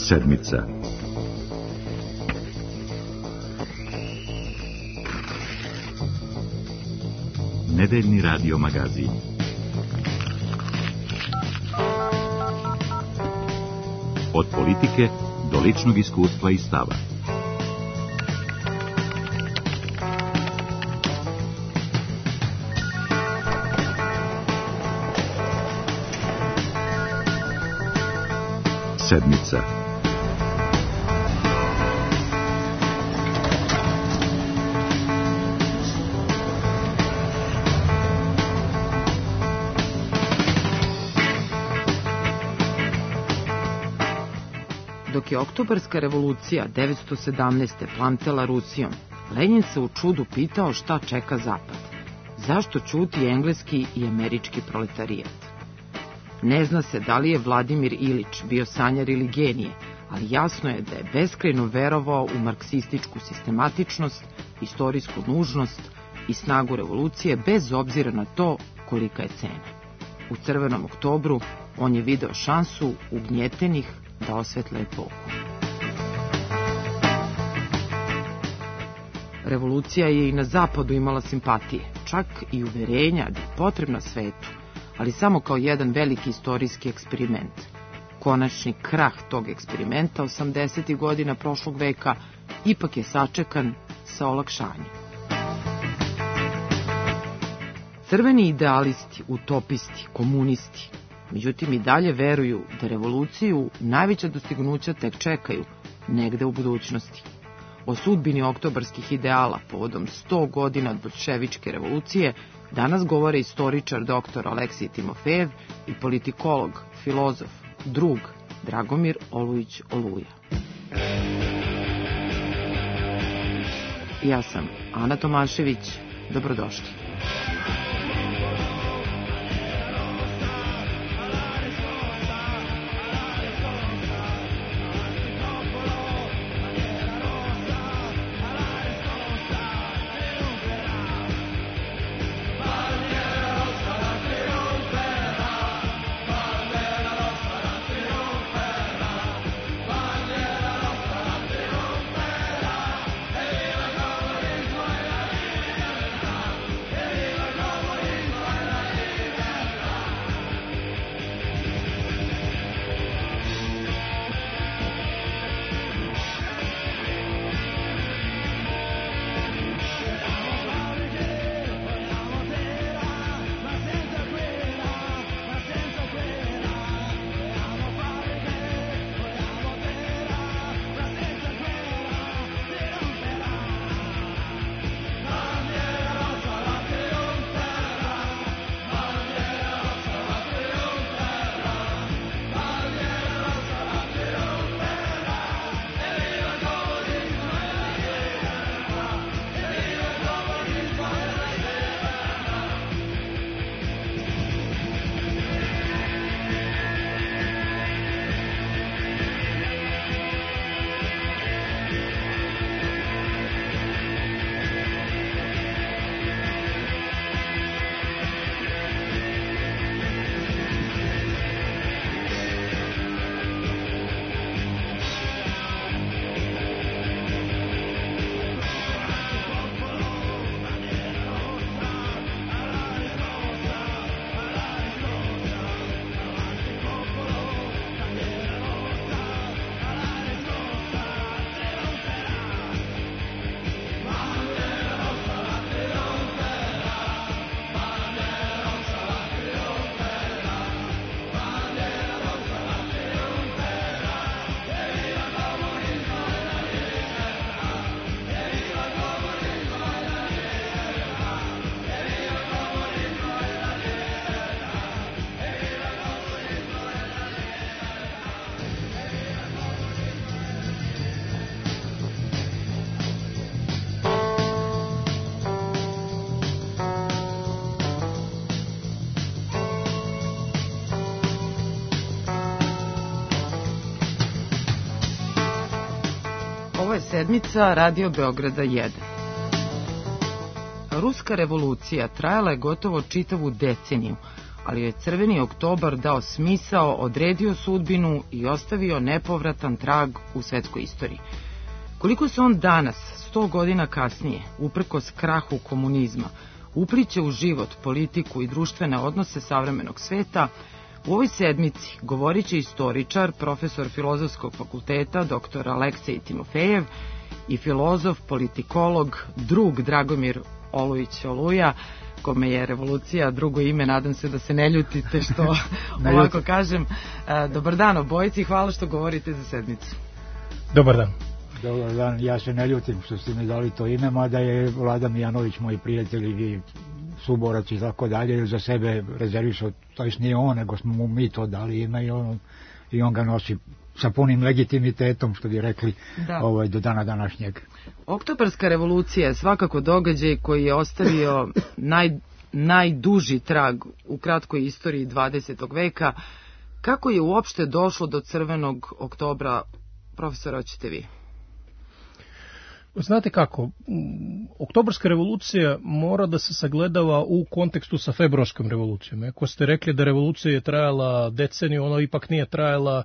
Sedmica. Nedeljni radio magazin. Od politike do ličnog iskustva i stava. Sedmica. Dok je oktobarska revolucija 917. plamtela Rusijom, Lenjin se u čudu pitao šta čeka Zapad. Zašto ćuti engleski i američki proletarijat? Ne zna se da li je Vladimir Ilić bio sanjar ili genije, ali jasno je da je beskrajno verovao u marksističku sistematičnost, istorijsku nužnost i snagu revolucije bez obzira na to kolika je cena. U Crvenom oktobru on je video šansu ugnjetenih da osvetle epohu. Revolucija je i na zapadu imala simpatije, čak i uverenja da je potrebna svetu, ali samo kao jedan veliki istorijski eksperiment. Konačni krah tog eksperimenta 80. godina prošlog veka ipak je sačekan sa olakšanjem. Crveni idealisti, utopisti, komunisti, međutim i dalje veruju da revoluciju najveća dostignuća tek čekaju negde u budućnosti. O sudbini oktobarskih ideala povodom 100 godina od bolševičke revolucije danas govore istoričar dr. Aleksij Timofejev i politikolog, filozof, drug Dragomir Olujić Oluja. Ja sam Ana Tomašević, dobrodošli. Sedmica Radio Beograda 1. Ruska revolucija trajala je gotovo čitavu deceniju, ali je Crveni oktobar dao smisao, odredio sudbinu i ostavio nepovratan trag u svetskoj istoriji. Koliko se on danas, 100 godina kasnije, uprkos krahu komunizma, upliće u život, politiku i društvene odnose savremenog sveta, u ovoj sedmici govorit će istoričar, profesor Filozofskog fakulteta, dr. Aleksej Timofejev i filozof, politikolog, drug Dragomir Olujić Oluja, kome je revolucija drugo ime, nadam se da se ne ljutite što ovako kažem. Dobar dan obojici i hvala što govorite za sedmicu. Dobar dan. Dobar dan, ja se ne ljutim što ste mi dali to ime, mada je Vlada Mijanović, moj prijatelj i suborac i tako dalje, za sebe rezervisao, to jest nije on, nego smo mu mi to dali ime i on ga nosi sa punim legitimitetom, što bi rekli, do dana današnjeg. Oktobarska revolucija je svakako događaj koji je ostavio najduži trag u kratkoj istoriji 20. veka. Kako je uopšte došlo do Crvenog oktobra, profesora, hoćete vi? Znate kako, Oktobarska revolucija mora da se sagledava u kontekstu sa Februarskom revolucijom. Ako ste rekli da revolucija je trajala deceniju, ona ipak nije trajala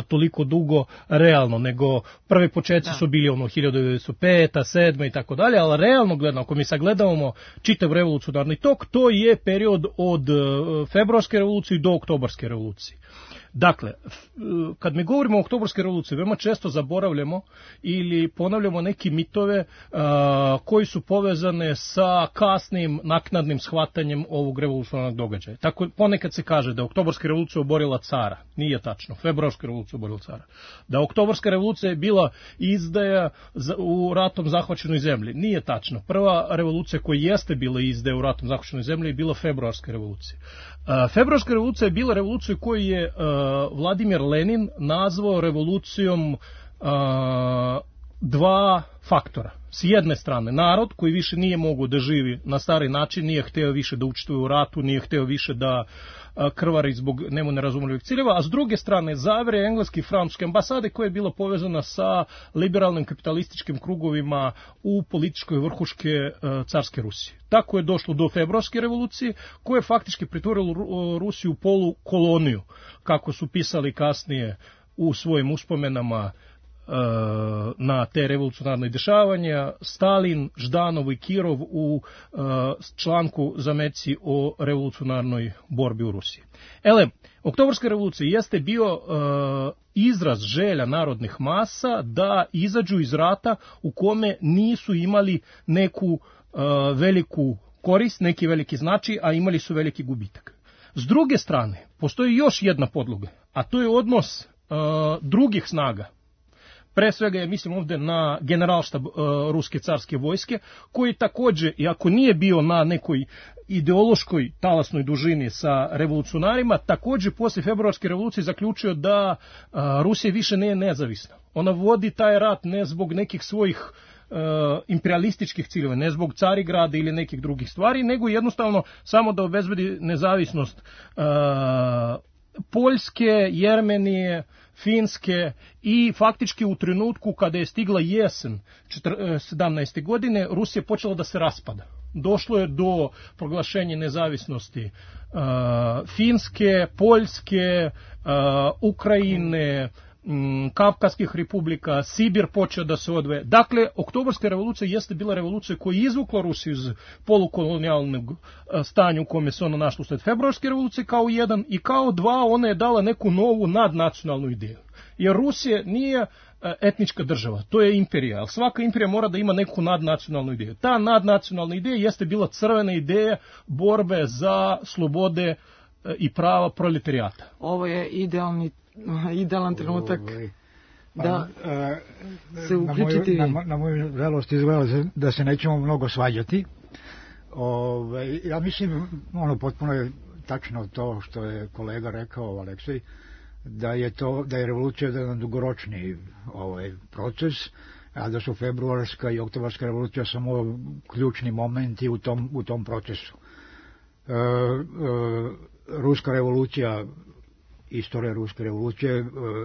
toliko dugo realno, nego prvi početci su bili 1905, 1907 i tako dalje, ali realno gledano, ako mi sagledavamo čitav revolucionarni tok, to je period od Februarske revolucije do Oktobarske revolucije. Dakle, kad mi govorimo o Oktobarskoj revoluciji, veoma često zaboravljamo ili ponavljamo neke mitove koji su povezane sa kasnim naknadnim shvatanjem ovog revolucionarnog događaja. Tako ponekad se kaže da je Oktobarska revolucija oborila cara. Nije tačno. Februarska revolucija oborila cara. Da Oktobarska revolucija je bila izdaja u ratom zahvaćenoj zemlji. Nije tačno. Prva revolucija koja jeste bila izdaja u ratom zahvaćenoj zemlji je bila Februarska revolucija. Februarska revolucija je bila revolucija koju je Vladimir Lenin nazvao revolucijom dva faktora. S jedne strane, narod koji više nije mogao da živi na stari način, nije hteo više da učestvuje u ratu, nije hteo više da krvari zbog njemu nerazumljivih ciljeva, a s druge strane zavere engleske i francuske ambasade koja je bila povezana sa liberalnim kapitalističkim krugovima u političkoj vrhuške carske Rusije. Tako je došlo do Februarske revolucije koja je faktički pretvorila Rusiju u polukoloniju, kako su pisali kasnije u svojim uspomenama na te revolucionarne dešavanja Stalin, Ždanov i Kirov u članku Zameci o revolucionarnoj borbi u Rusiji. Oktobarska revolucija jeste bio izraz želja narodnih masa da izađu iz rata u kome nisu imali neku veliku korist, neki veliki značaj, a imali su veliki gubitak. S druge strane, postoji još jedna podloga, a to je odnos drugih snaga. Pre svega je, mislim ovde na generalštab ruske carske vojske, koji takođe, iako nije bio na nekoj ideološkoj talasnoj dužini sa revolucionarima, takođe posle Februarske revolucije zaključio da Rusija više nije nezavisna. Ona vodi taj rat ne zbog nekih svojih imperialističkih ciljeva, ne zbog Carigrada ili nekih drugih stvari, nego jednostavno samo da obezbedi nezavisnost Poljske, Jermenije, Finske i faktički u trenutku kada je stigla jesen 17. godine, Rusija počela da se raspada. Došlo je do proglašenja nezavisnosti Finske, Poljske, Ukrajine, Kavkaskih republika, Sibir počeo da se odvoje. Dakle, Oktobarska revolucija jeste bila revolucija koja je izvukla Rusiju iz polukolonijalnog stanja u kome se ona našla usled Februarske revolucije kao jedan, i kao dva ona je dala neku novu nadnacionalnu ideju. Jer Rusija nije etnička država, to je imperija, ali svaka imperija mora da ima neku nadnacionalnu ideju. Ta nadnacionalna ideja jeste bila crvena ideja borbe za slobode i prava proletarijata. Ovo je idealan trenutak da se uključiti. Na moju žalost izgleda da se nećemo mnogo svađati. Ja mislim, potpuno je tačno to što je kolega rekao, Aleksej, da je revolucija jedan dugoročni proces, a da su Februarska i Oktobarska revolucija samo ključni momenti u tom procesu. Ruska revolucija istorija ruske revolucije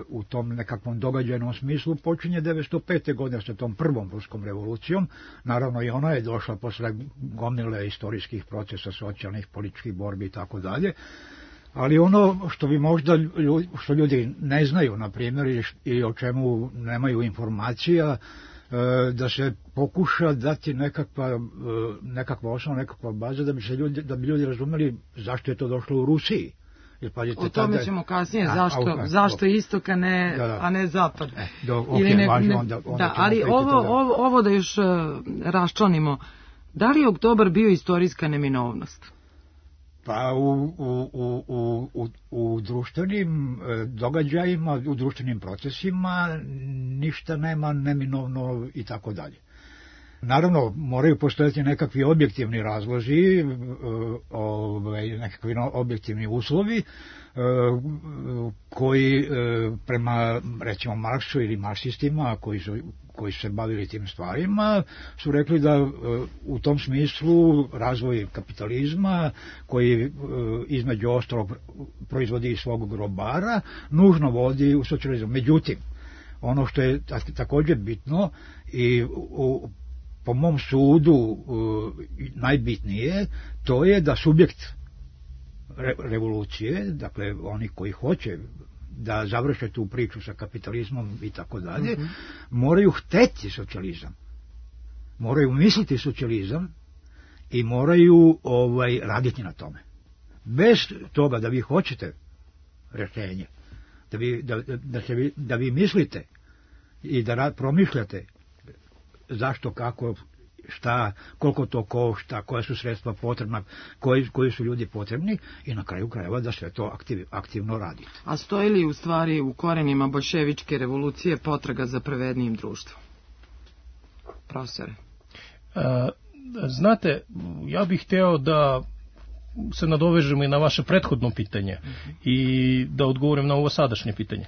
u tom nekakvom događajnom smislu počinje 1905. godine sa tom prvom ruskom revolucijom. Naravno i ona je došla posle gomile istorijskih procesa, socijalnih, političkih borbi i tako dalje. Ali ono što bi možda što ljudi ne znaju, na primjer, i o čemu nemaju informacija, da se pokuša dati nekakva osnova, nekakva baza da bi ljudi razumeli zašto je to došlo u Rusiji. Jer, pazite, o tome ćemo kasnije, zašto istok, a ne zapad. Ali ovo da još raščlanimo, da li je oktobar bio istorijska neminovnost? Pa u društvenim događajima, u društvenim procesima ništa nema neminovno i tako dalje. Naravno, moraju postojati nekakvi objektivni razlozi, nekakvi objektivni uslovi koji prema, recimo, Marksu ili marksistima koji su se bavili tim stvarima, su rekli da u tom smislu razvoj kapitalizma, koji između ostalog proizvodi i svog grobara, nužno vodi u socijalizam. Međutim, ono što je također bitno i po mom sudu najbitnije, to je da subjekt revolucije, dakle oni koji hoće da završe tu priču sa kapitalizmom i tako dalje, moraju hteti socijalizam, moraju misliti socijalizam i moraju raditi na tome. Bez toga da vi hoćete rješenje, da vi mislite i da promišljate zašto, kako, šta, koliko to košta, koja su sredstva potrebna, koji su ljudi potrebni i na kraju krajeva da sve to aktivno radite. A stoji li u stvari u korenima boljševičke revolucije potraga za pravednijim društvom? Profesore? Znate, ja bih hteo da se nadovežemo i na vaše prethodno pitanje i da odgovorim na ovo sadašnje pitanje.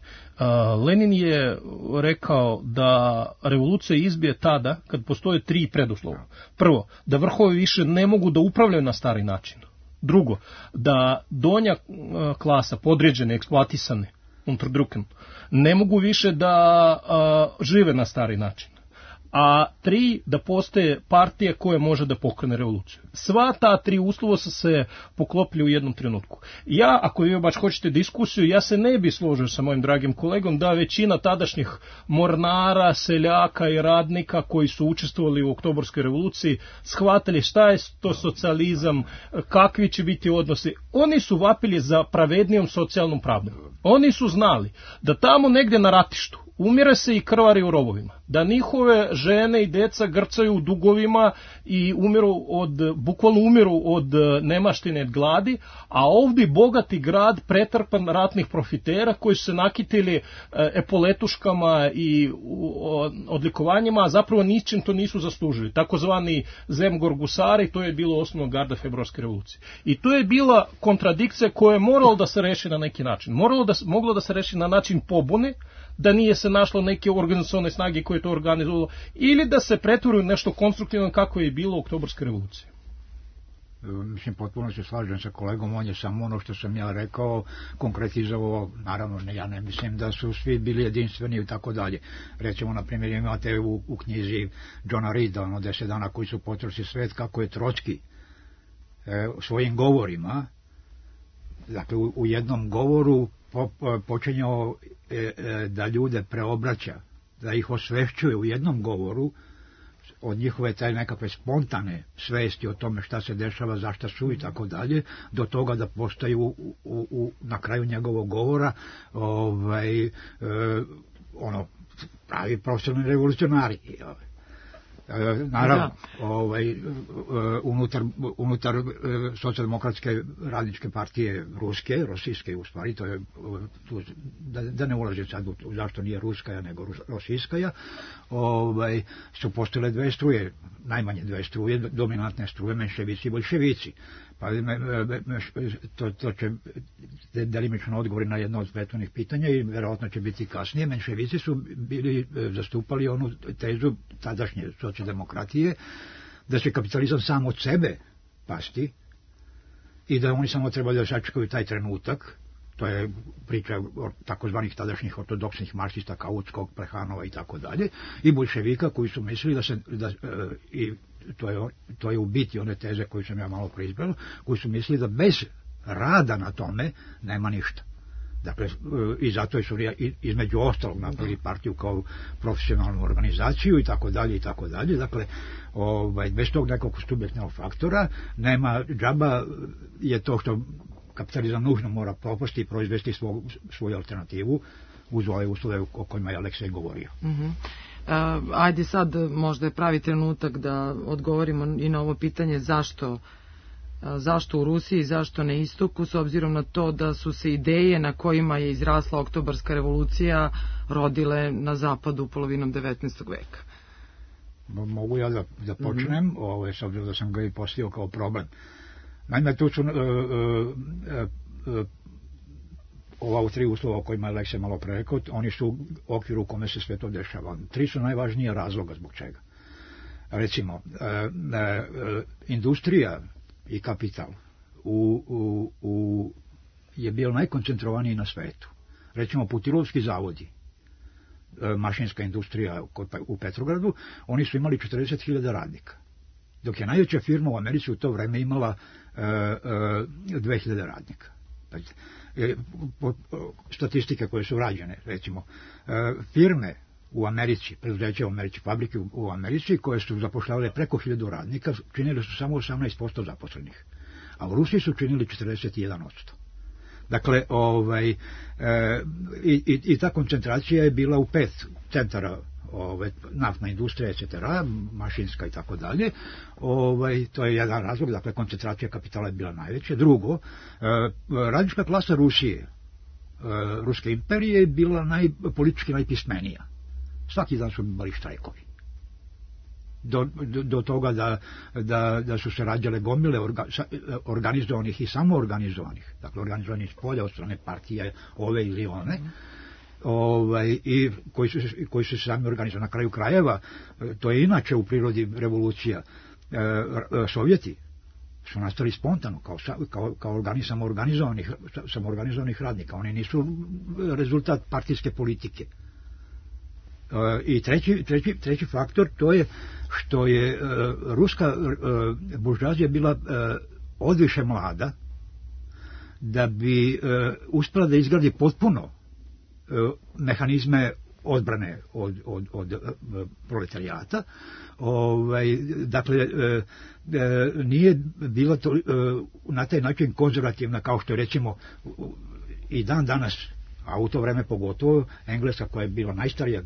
Lenin je rekao da revolucija izbije tada kad postoje 3 preduslova. Prvo, da vrhovi više ne mogu da upravljaju na stari način. Drugo, da donja klasa, podređene, eksploatisane, unterdrücken, ne mogu više da žive na stari način. A 3, da postoje partije koje može da pokrene revoluciju. Sva ta 3 uslova su se poklopili u jednom trenutku. Ja, ako vi baš hoćete diskusiju, ja se ne bi složio sa mojim dragim kolegom da većina tadašnjih mornara, seljaka i radnika koji su učestvovali u oktobarskoj revoluciji shvatili šta je to socijalizam, kakvi će biti odnosi. Oni su vapili za pravednijom socijalnom pravdom. Oni su znali da tamo negdje na ratištu umire se i krvari u rovovima, da njihove žene i deca grcaju u dugovima i bukvalno umiru od nemaštine, od gladi, a ovdje bogati grad pretrpan ratnih profitera koji su se nakitili epoletuškama i odlikovanjima, a zapravo ničim to nisu zaslužili. Takozvani zemgorgusari, to je bilo osnovno garda februarske revolucije. I to je bila kontradikcija koja je morala da se reši na neki način. Moglo da se reši na način pobune, da nije se našlo neke organizacione snage koje to organizovalo, ili da se pretvori u nešto konstruktivno kako je bilo u oktobarskoj revoluciji. Mislim, potpuno se slažem sa kolegom, on je samo ono što sam ja rekao konkretizovao. Naravno, ja ne mislim da su svi bili jedinstveni i tako dalje. Recimo, na primjer, imate u knjizi Johna Reeda, 10 dana koji su potresli svet, kako je Trotski svojim govorima, dakle u jednom govoru počinjao da ljude preobraća, da ih osvešćuje u jednom govoru od njihove taj nekakve spontane svesti o tome šta se dešava, zašta su i tako dalje, do toga da postaju na kraju njegovog govora pravi profesionalni revolucionari. Naravno, unutar socijaldemokratske radničke partije ruske, rosijske u stvari, to je, da ne ulazim sad zašto nije ruskaja nego rosijskaja, su postojile 2 struje, najmanje 2 struje, dominantne struje, menševici i boljševici. Pa to će delimično odgovori na jedno od prethodnih pitanja i verovatno će biti kasnije. Menševici su zastupali onu tezu tadašnje socijaldemokratije da će kapitalizam sam od sebe pasti i da oni samo trebaju da sačekaju taj trenutak To je priča takozvanih tadašnjih ortodoksnih marksista Kautskog, Plehanova i tako dalje, i boljševika koji su mislili i to je u biti one teze koju sam ja malo proizbrao, koji su mislili da bez rada na tome nema ništa. Dakle, i zato su između ostalog napravili partiju kao profesionalnu organizaciju i tako dalje i tako dalje. Dakle, bez tog nekog subjektnog faktora nema džaba, je to što kapitalizam nužno mora propasti i proizvesti svoju alternativu uz ove uslove o kojima je Aleksej govorio. Ajde sad, možda je pravi trenutak da odgovorimo i na ovo pitanje zašto u Rusiji, zašto na istoku, s obzirom na to da su se ideje na kojima je izrasla Oktobarska revolucija rodile na zapadu polovinom 19. veka. Mogu ja da počnem, s obzirom da sam ga i postavio kao problem. Naime, tu su ova tri uslova o kojima je Aleksej malo pre rekao, oni su u okviru u kome se sve to dešava. Tri su najvažnija razloga zbog čega. Recimo, industrija i kapital je bio najkoncentrovaniji na svetu. Recimo, Putilovski zavodi, mašinska industrija u Petrogradu, oni su imali 40.000 radnika. Dok je najveća firma u Americi u to vreme imala 2.000 radnika. Statistike koje su rađene, recimo, firme u Americi, preduzeća u Americi, fabrike u Americi, koje su zapošljavale preko 1.000 radnika, činili su samo 18% zaposlenih, a u Rusiji su činili 41%. Dakle, i ta koncentracija je bila u 5 centara, naftna industrija, etc., mašinska i tako dalje. To je jedan razlog, dakle, koncentracija kapitala je bila najveća. Drugo, radnička klasa Rusije, Ruske imperije, je bila politički najpismenija. Svaki dan su bili štrajkovi. Do toga da su se rađale gomile organizovanih i samoorganizovanih, dakle organizovanih s polja od strane partije ove ili one, i koji su se sami organizovali. Na kraju krajeva, to je inače u prirodi revolucija, Sovjeti su nastali spontano, kao samoorganizovanih radnika. Oni nisu rezultat partijske politike. I treći faktor, to je što je ruska buržoazija bila odviše mlada da bi uspela da izgradi potpuno mehanizme odbrane od proletarijata. Dakle, nije bila na taj način konzervativna kao što je recimo i dan danas, a u to vreme pogotovo Engleska, koja je bila najstarija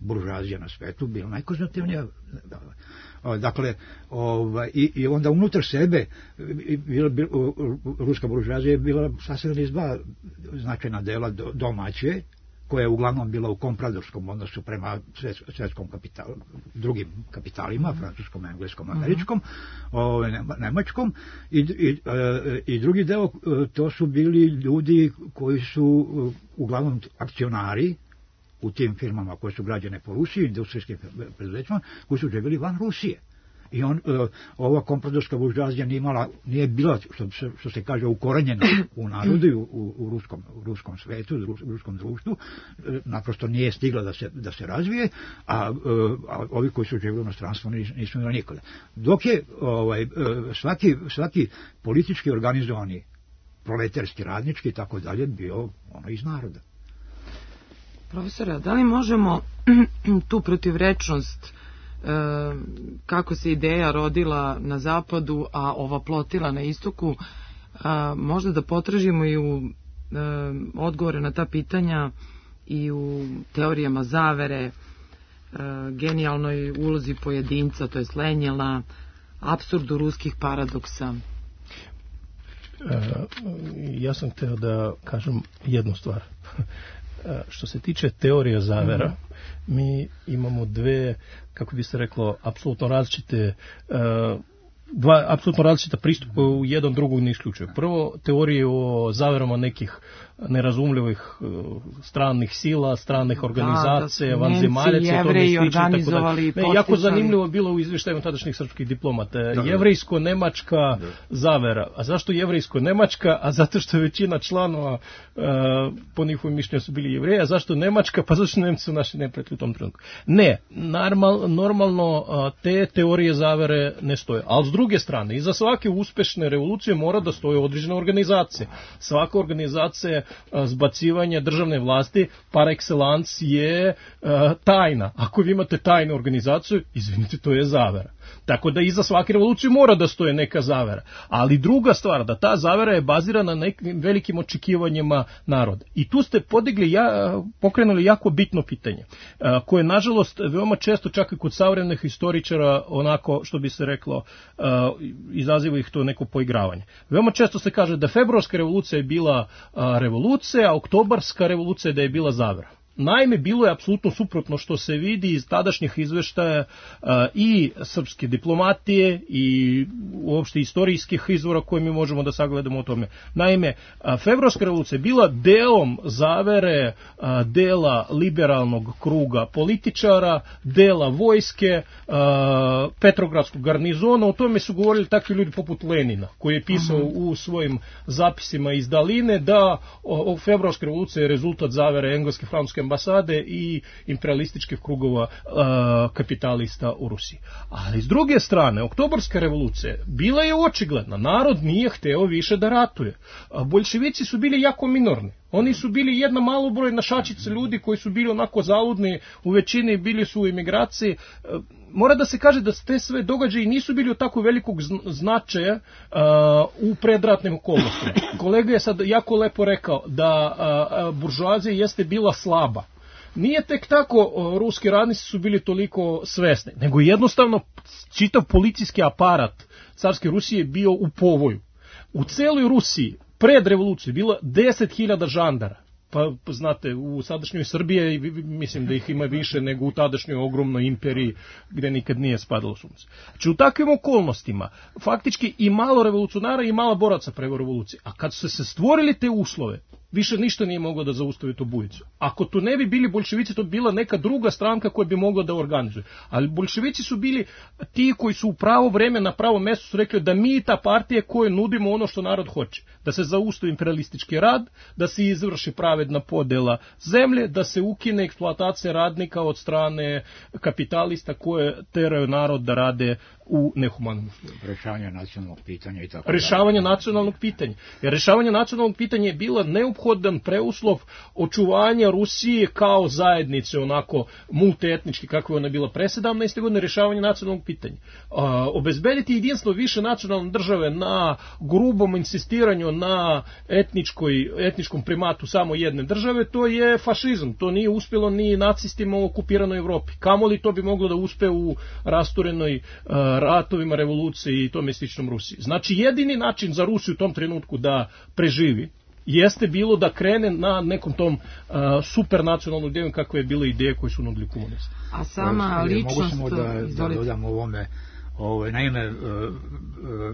buržoazija na svetu, bila najkonzervativnija. Dakle, i onda unutar sebe ruska buržoazija je bila sastavljena iz dva značajna dela, domaće, koja je uglavnom bila u kompradorskom odnosu prema svetskom kapitalu, drugim kapitalima, francuskom, engleskom, američkom, nemačkom, i drugi deo, to su bili ljudi koji su uglavnom akcionari u tim firmama koje su građene po Rusiji, industrijskim preduzećima, koji su živjeli van Rusije. I ova kompradorska buržoazija nije bila, što se kaže, ukorenjena u narodu i u ruskom svetu, u ruskom društvu, naprosto nije stigla da se razvije, a ovi koji su živjeli u inostranstvu nisu imali nikada. Dok je svaki politički organizovani, proletarski, radnički i tako dalje bio iz naroda. Profesore, da li možemo tu protivrečnost, kako se ideja rodila na zapadu, a ova plotila na istoku, možda da potražimo i u odgovore na ta pitanja i u teorijama zavere, genijalnoj ulozi pojedinca, to je Lenjela, apsurdu ruskih paradoksa? Ja sam hteo da kažem jednu stvar. Što se tiče teorija zavera, mi imamo dve, kako bi se reklo, apsolutno različite dva apsolutno različita pristupa u jedan drugog ne isključuju. Prvo, teorije o zaverama nekih nerazumljivih stranih sila, stranih organizacija, vanzemaljaca, o tome slično. Jako zanimljivo bilo u izvještajima tadašnjih srpskih diplomata. Jevrejsko-nemačka zavera. A zašto jevrejsko-nemačka? A zato što je većina članova po njihovim mišljenju su bili Jevreji. A zašto Nemačka? Pa zašto Nemci su naši neprijatelji u tom trenutku. Ne, normalno te teorije zavere ne stoje. Ali s druge strane, iza svake uspešne revolucije mora da stoje određena organizacija. Svaka organizacija zbacivanja državne vlasti par excellence je tajna. Ako vi imate tajnu organizaciju, izvinite, to je zavera. Tako da iza svake revolucije mora da stoje neka zavera. Ali druga stvar, da ta zavera je bazirana na nekim velikim očekivanjima naroda. I tu ste pokrenuli jako bitno pitanje, koje nažalost veoma često čak i kod savremenih historičara onako, što bi se reklo, izaziva ih to neko poigravanje. Veoma često se kaže da februarska revolucija je bila revolucija, a oktobarska revolucija da je bila zavera. Naime, bilo je apsolutno suprotno što se vidi iz tadašnjih izveštaja i srpske diplomatije i uopšte istorijskih izvora koje mi možemo da sagledamo o tome. Naime, februarska revolucija je bila delom zavere, dela liberalnog kruga političara, dela vojske, Petrogradskog garnizona. O tome su govorili takvi ljudi poput Lenina, koji je pisao u svojim zapisima iz Daline da februarska revolucija je rezultat zavere engleske, francuske ambasade i imperialističkih krugova kapitalista u Rusiji. Ali s druge strane, oktobarska revolucija bila je očigledna. Narod nije hteo više da ratuje. Boljševici su bili jako minorni. Oni su bili jedna malobrojna šačica ljudi koji su bili onako zaludni, u većini bili su u emigraciji. Mora da se kaže da te sve događaje nisu bili od tako velikog značaja u predratnim okolnostima. Kolega je sad jako lepo rekao da buržoazija jeste bila slaba. Nije tek tako ruski radnici su bili toliko svesni, nego jednostavno čitav policijski aparat carske Rusije je bio u povoju. U celoj Rusiji pred revoluciju bilo 10.000 žandara. Pa znate, u sadašnjoj Srbiji mislim da ih ima više nego u tadašnjoj ogromnoj imperiji gde nikad nije spadalo sunce. Znači u takvim okolnostima faktički i malo revolucionara i malo boraca prema revoluciji. A kad su se stvorili te uslove, više ništa nije moglo da zaustavi tu bujicu. Ako to ne bi bili boljševici, to bi bila neka druga stranka koja bi mogla da organizuje. Ali boljševici su bili ti koji su u pravo vreme na pravom mjestu su rekli da mi ta partija koje nudimo ono što narod hoće. Da se zaustavi imperialistički rad, da se izvrši pravedna podela zemlje, da se ukine eksploatacija radnika od strane kapitalista koje teraju narod da rade u nehumanom. Rešavanje nacionalnog pitanja i tako. Rešavanje nacionalnog pitanja. Jer rešavanje nacionalnog pitanja je bila neophodan preuslov očuvanja Rusije kao zajednice, onako multietnički kako je ona bila pre 17. godine, rešavanje nacionalnog pitanja. Obezbediti jedinstvo više nacionalne države na grubom insistiranju na etničkom primatu samo jedne države, to je fašizam. To nije uspjelo ni nacistima u okupiranoj Evropi. Kamoli to bi moglo da uspe u rasturenoj ratovima, revoluciji i tome sličnom Rusiji. Znači, jedini način za Rusiju u tom trenutku da preživi jeste bilo da krene na nekom tom supernacionalnom idejom kakve je bila ideje koje su nudili komunisti. A sama ličnost... Mogu samo da dodam ovome. Naime,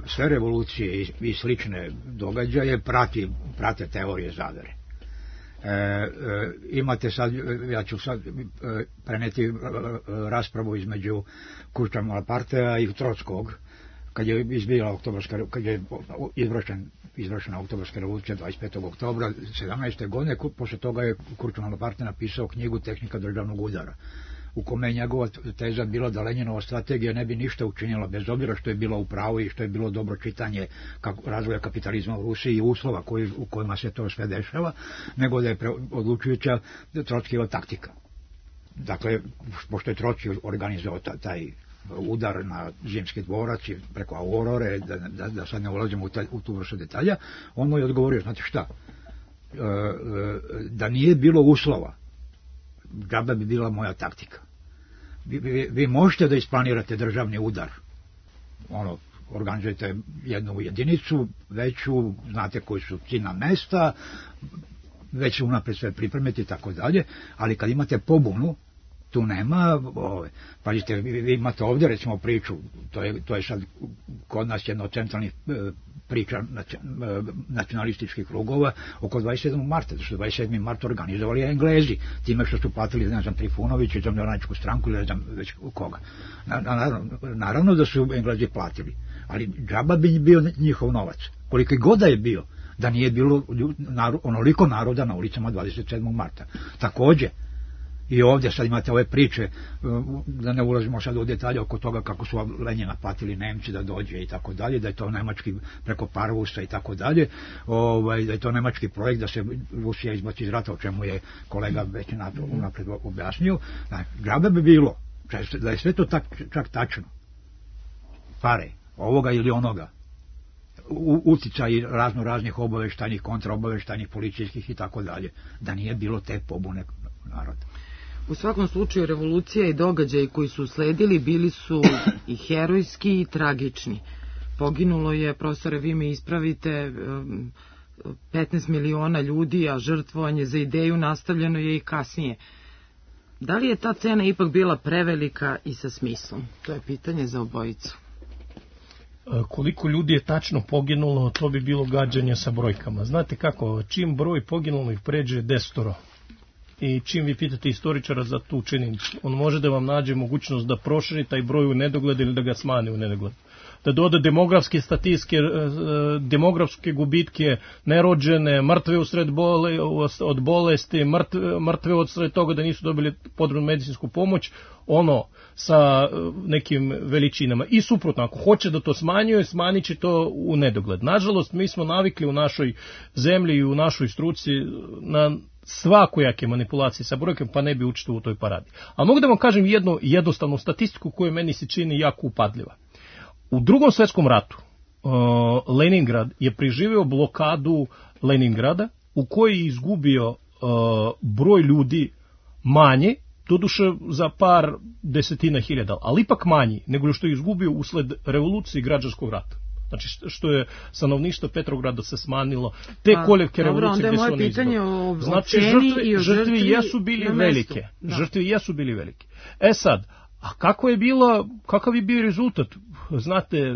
sve revolucije i slične događaje prate teorije zavere. Imate sad, ja ću sad preneti raspravu između Kurta Malapartea i Trockog, kad je izvršena oktobarska revolucija 25. oktobra 17. godine, posle toga je Kurt Malaparte napisao knjigu Tehnika državnog udara, u kome je njegova teza bila da Lenjinova strategija ne bi ništa učinila, bez obzira što je bila u pravu i što je bilo dobro čitanje razvoja kapitalizma u Rusiji i uslova u kojima se to sve dešava, nego da je odlučujuća Trockijeva taktika. Dakle, pošto je Trocki organizovao taj udar na Zimski dvorac i preko Aurore, da sad ne ulazimo u tu vrstu detalja, on mu je odgovorio, znate šta, da nije bilo uslova, džaba bi bila moja taktika. Vi možete da isplanirate državni udar, organizujete jednu jedinicu, veću, znate koji su ciljna mesta, već unapred sve pripremiti i tako dalje, ali kad imate pobunu, Tu nema, pazite, vi imate ovdje recimo priču, to je sad kod nas jedna od centralnih priča nacionalističkih krugova oko 27. marta, zato što 27. mart organizovali Englezi, time što su platili, ne znam, Trifunović i Zemljoradničku stranku ili ne znam već koga. Naravno da su Englezi platili, ali džaba bi bio njihov novac, koliko god da je bio, da nije bilo onoliko naroda na ulicama 27. marta. Također, i ovdje sad imate ove priče, da ne ulazimo sad u detalje oko toga kako su Lenjina platili Nemci da dođe i tako dalje, da je to nemački preko Parvusa i tako dalje, da je to nemački projekt da se Rusija izbaci iz rata, o čemu je kolega već unapred objasnio. Džabe bi bilo, da je sve to čak tačno. Pare, ovoga ili onoga, uticaj raznih obaveštajnih, kontraobaveštajnih, policijskih i tako dalje, da nije bilo te pobune naroda. U svakom slučaju revolucija i događaji koji su usledili bili su i herojski i tragični. Poginulo je, profesore, vi me ispravite, 15 miliona ljudi, a žrtvovanje za ideju nastavljeno je i kasnije. Da li je ta cena ipak bila prevelika i sa smislom? To je pitanje za obojicu. Koliko ljudi je tačno poginulo, to bi bilo gađanje sa brojkama. Znate kako, čim broj poginulih pređe 10, i čim vi pitate istoričara za tu činjenicu, on može da vam nađe mogućnost da proširi taj broj u nedogled ili da ga smanje u nedogled. Da doda demografske statistike, demografske gubitke, nerođene, mrtve usred od bolesti, mrtve od sred toga da nisu dobili potrebnu medicinsku pomoć, sa nekim veličinama. I suprotno, ako hoće da to smanjuje, smanjit će to u nedogled. Nažalost, mi smo navikli u našoj zemlji i u našoj struci na svakojake manipulacije sa brojkom, pa ne bi učestvovao u toj paradi. A mogu da vam kažem jednu jednostavnu statistiku koju meni se čini jako upadljiva. U Drugom svjetskom ratu Leningrad je preživio blokadu Leningrada u kojoj je izgubio broj ljudi manje, doduše za par desetina hiljada, ali ipak manji nego što je izgubio usled revolucije i građanskog rata. Znači što je stanovništvo Petrograda se smanjilo, te koljevke revolucije gdje su oni izgubili. Znači žrtve jesu bili velike. Žrtve jesu bili velike. Sad, a kakav je bio rezultat? Znate,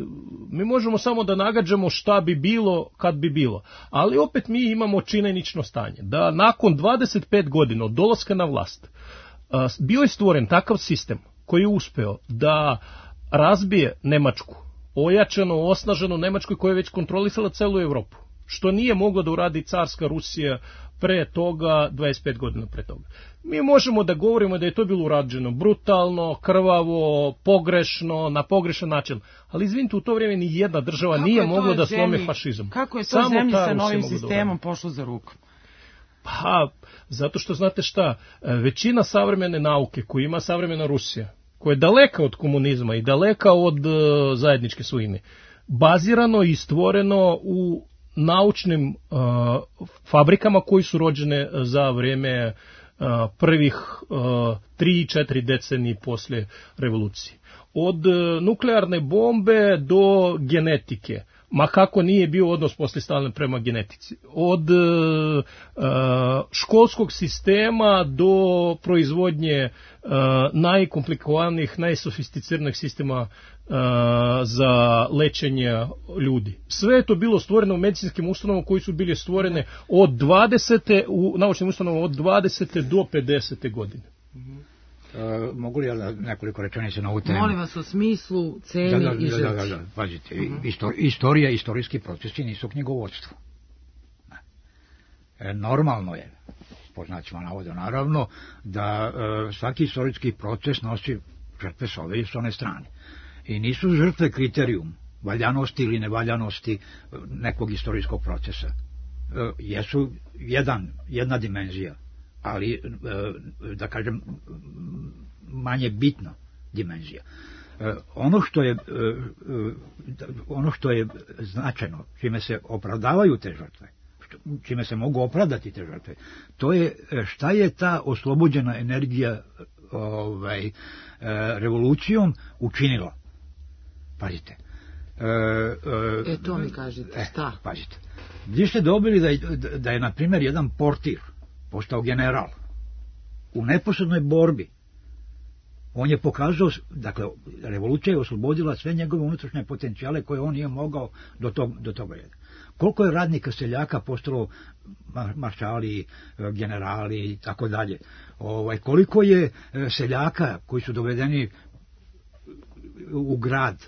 mi možemo samo da nagađamo šta bi bilo kad bi bilo, ali opet mi imamo činjenično stanje da nakon 25 godina od dolaska na vlast bio je stvoren takav sistem koji je uspeo da razbije Nemačku, ojačano, osnaženo Nemačku koja je već kontrolisala celu Evropu, što nije mogla da uradi carska Rusija pre toga, 25 godina pre toga. Mi možemo da govorimo da je to bilo urađeno brutalno, krvavo, pogrešno, na pogrešan način, ali izvinite, u to vrijeme ni jedna država nije mogla da slomi fašizam. Kako je to zemlji sa novim sistemom pošlo za rukom? Pa, zato što znate šta, većina savremene nauke koju ima savremena Rusija, koja je daleka od komunizma i daleka od zajedničke svojine, bazirano i stvoreno u naučnim fabrikama koji su rođene za vrijeme prvih 3-4 decenije poslije revolucije. Od nuklearne bombe do genetike, ma kako nije bio odnos poslije Stalina prema genetici, od školskog sistema do proizvodnje najkomplikovanijih, najsofisticiranih sistema za lečenje ljudi. Sve je to bilo stvoreno u medicinskim ustanovama koji su bili stvorene od 20. u naučnim ustanovama od 20. do 50. godine. Mogu li ja nekoliko rečenica na ovu temu? Molim vas o smislu, ceni i žrtvi. Da, pazite, istorija i istorijski procesi nisu knjigovodstvo. Normalno je, poznacima navoda naravno, da svaki istorijski proces nosi žrtve s ove i s one strane. I nisu žrtve kriterijum valjanosti ili nevaljanosti nekog istorijskog procesa. Jesu jedna dimenzija, ali, da kažem, manje bitna dimenzija. Ono što je značajno, čime se opravdavaju te žrtve, čime se mogu opravdati te žrtve, to je šta je ta oslobođena energija revolucijom učinila. Pazite. To mi kažete, šta? Pazite. Gdje ste dobili da je, na primjer, jedan portir postao general u neposrednoj borbi On je pokazao, dakle, revolucija je oslobodila sve njegove unutrašnje potencijale koje on nije mogao do toga jedna. Koliko je radnika seljaka postalo maršali, generali i tako dalje. Koliko je seljaka koji su dovedeni u grad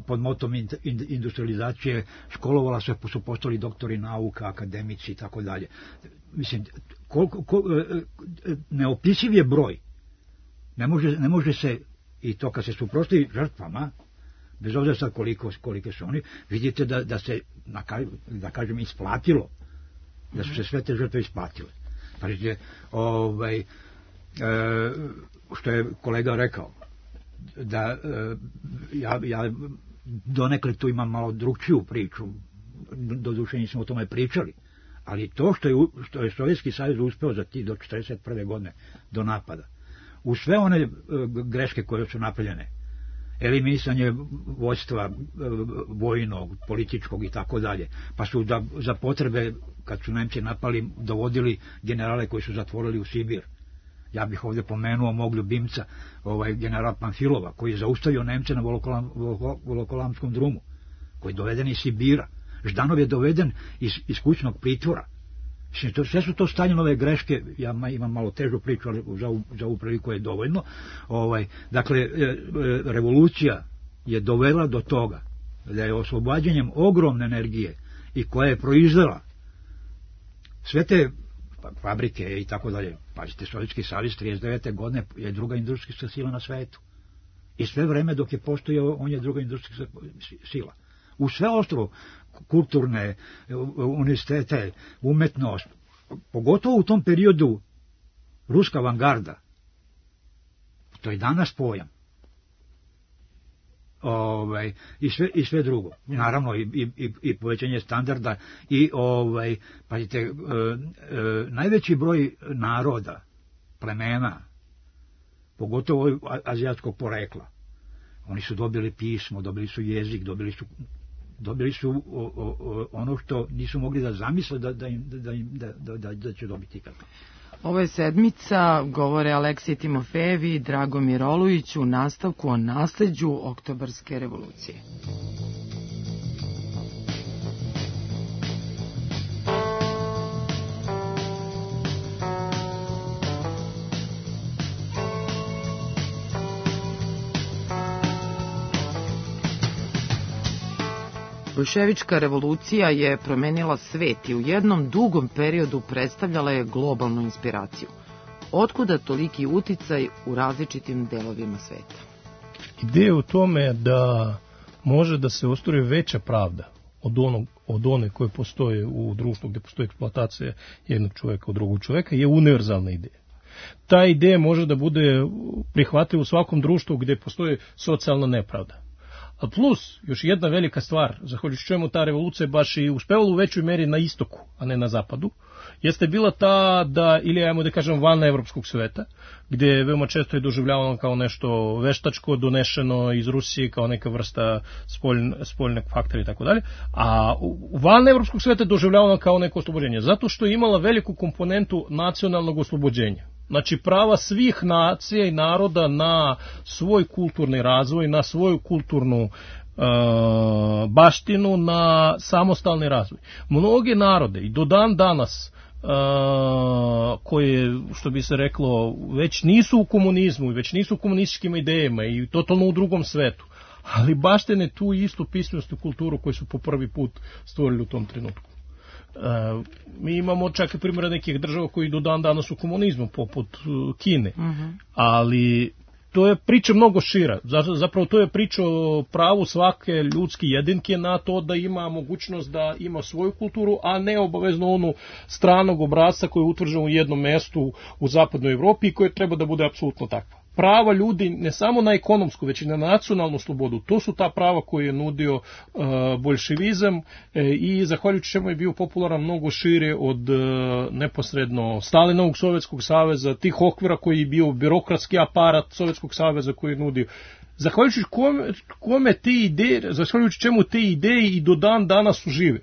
pod motom industrializacije, školovala se, su postali doktori nauka, akademici i tako dalje. Mislim, neopisiv je broj. Ne može se, i to kad se suprotstavi žrtvama, bez obzira sad kolike su oni, vidite da se, da kažem, isplatilo, da su se sve te žrtve isplatile. Pazite, što je kolega rekao, da ja donekle tu imam malo drugčiju priču, doduše nismo o tome pričali, ali to što je Sovjetski savez uspeo za do 1941. godine do napada, u sve one greške koje su napravljene, eliminisanje vojstva vojnog, političkog i tako dalje, pa su za potrebe, kad su Nemci napali, dovodili generale koji su zatvorili u Sibir. Ja bih ovdje pomenuo mog ljubimca, general Panfilova, koji je zaustavio Nemce na Volokolamskom drumu, koji je doveden iz Sibira. Ždanov je doveden iz kućnog pritvora. Sve su to Staljinove greške, ja imam malo težu priču, ali za ovu priliku je dovoljno. Dakle, revolucija je dovela do toga da je oslobađanjem ogromne energije i koja je proizvela sve te fabrike i tako dalje. Pazite, Sovjetski savez 39. godine je druga industrijska sila na svetu. I sve vreme dok je postojao, on je druga industrijska sila. U sve ostalo, kulturne, univerzitete, umetnost, pogotovo u tom periodu ruska avangarda, to je danas pojam. I sve drugo. Naravno i povećanje standarda i pazite, najveći broj naroda, plemena, pogotovo azijatskog porekla, oni su dobili pismo, dobili su jezik, dobili su ono što nisu mogli da zamisle da će dobiti kako. Ovo je sedmica, govore Aleksij Timofejev i Dragomir Olujić u nastavku o nasleđu Oktobarske revolucije. Boljševička revolucija je promenila svet i u jednom dugom periodu predstavljala je globalnu inspiraciju. Otkuda toliki uticaj u različitim delovima sveta? Ideja u tome da može da se ostvari veća pravda od one koje postoje u društvu gdje postoji eksploatacija jednog čovjeka od drugog čovjeka je univerzalna ideja. Ta ideja može da bude prihvatljiva u svakom društvu gdje postoji socijalna nepravda. A plus, još jedna velika stvar, zahvaljujući čemu ta revolucija baš i uspevala u većoj meri na istoku, a ne na zapadu, jeste bila ta da, ili ajmo da kažem van evropskog sveta, gdje je veoma često je doživljavano kao nešto veštačko, donešeno iz Rusije, kao neka vrsta spoljnog faktora i tako dalje, a van evropskog sveta je doživljavano kao neko oslobođenje, zato što je imala veliku komponentu nacionalnog oslobođenja. Znači prava svih nacija i naroda na svoj kulturni razvoj, na svoju kulturnu baštinu, na samostalni razvoj. Mnoge narode i do dan danas koje, što bi se reklo, već nisu u komunizmu, već nisu u komunističkim idejama i totalno u drugom svetu, ali baštine tu istu pismenost i kulturu koju su po prvi put stvorili u tom trenutku. Mi imamo čak i primjera nekih država koji do dan danas u komunizmu, poput Kine, ali to je priča mnogo šira. Zapravo to je priča o pravu svake ljudske jedinke na to da ima mogućnost da ima svoju kulturu, a ne obavezno onu stranog obrasca koji je utvrđen u jednom mestu u zapadnoj Evropi i koje treba da bude apsolutno takva. Prava ljudi ne samo na ekonomsku, već i na nacionalnu slobodu, to su ta prava koje je nudio boljševizam i zahvaljujući čemu je bio popularan mnogo šire od neposredno Stalinovog Sovjetskog saveza, tih okvira koji je bio birokratski aparat Sovjetskog saveza koji je nudio. Zahvaljujući čemu te ideje i do dan danas su žive.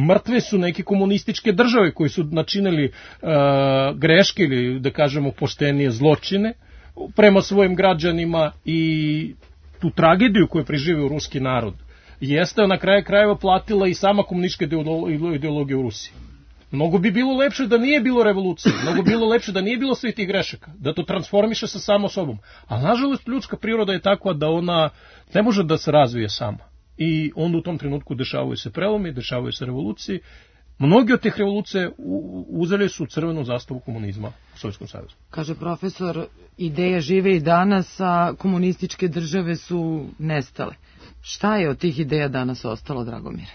Mrtve su neke komunističke države koji su načinili greške ili da kažemo poštenije zločine, prema svojim građanima i tu tragediju koju je preživio ruski narod jeste na kraju krajeva platila i sama komunistička ideologija u Rusiji. Mnogo bi bilo lepše da nije bilo revolucije, mnogo bi bilo lepše da nije bilo svih tih grešaka, da to transformiše sa samo sobom. A nažalost ljudska priroda je takva da ona ne može da se razvije sama. I onda u tom trenutku dešavaju se prelomi, dešavaju se revolucije. Mnogi od tih revolucije uzeli su crvenu zastavu komunizma u Sovjetskom savezu. Kaže profesor, ideje žive i danas, a komunističke države su nestale. Šta je od tih ideja danas ostalo, Dragomire?